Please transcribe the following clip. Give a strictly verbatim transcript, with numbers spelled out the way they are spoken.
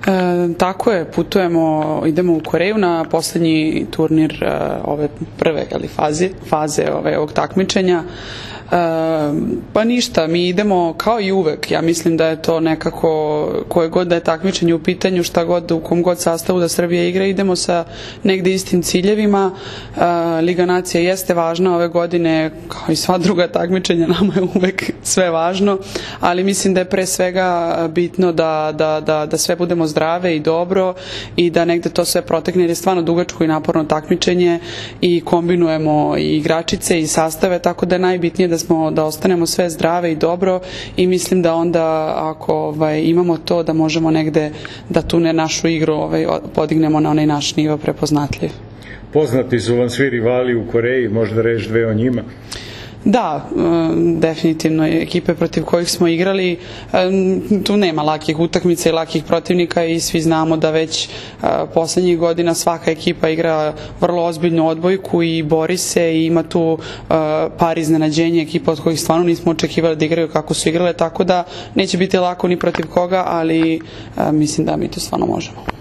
E, tako je, putujemo, idemo u Koreju na poslednji turnir e, ove prve ali, faze, faze ove, ovog takmičenja. E, pa ništa, mi idemo kao i uvek, ja mislim da je to nekako, koje god da je takmičenje u pitanju, šta god, u kom god sastavu da Srbija igra, idemo sa negde istim ciljevima. E, Liga nacija jeste važna ove godine, kao i sva druga takmičenja, nama je uvek sve važno, ali mislim da je pre svega bitno da, da, da, da sve budemo zdrave i dobro i da negde to sve protekne, jer je stvarno dugačko i naporno takmičenje i kombinujemo i igračice i sastave, tako da je najbitnije da smo, da ostanemo sve zdrave i dobro i mislim da onda ako ovaj, imamo to da možemo negde da tu ne našu igru ovaj, podignemo na onaj naš nivo prepoznatljiv. Poznati su vam svi rivali u Koreji, možda reći dve o njima? Da, definitivno ekipe protiv kojih smo igrali, tu nema lakih utakmica i lakih protivnika i svi znamo da već poslednjih godina svaka ekipa igra vrlo ozbiljnu odbojku i bori se i ima tu par iznenađenja ekipa od kojih stvarno nismo očekivali da igraju kako su igrale, tako da neće biti lako ni protiv koga, ali mislim da mi to stvarno možemo.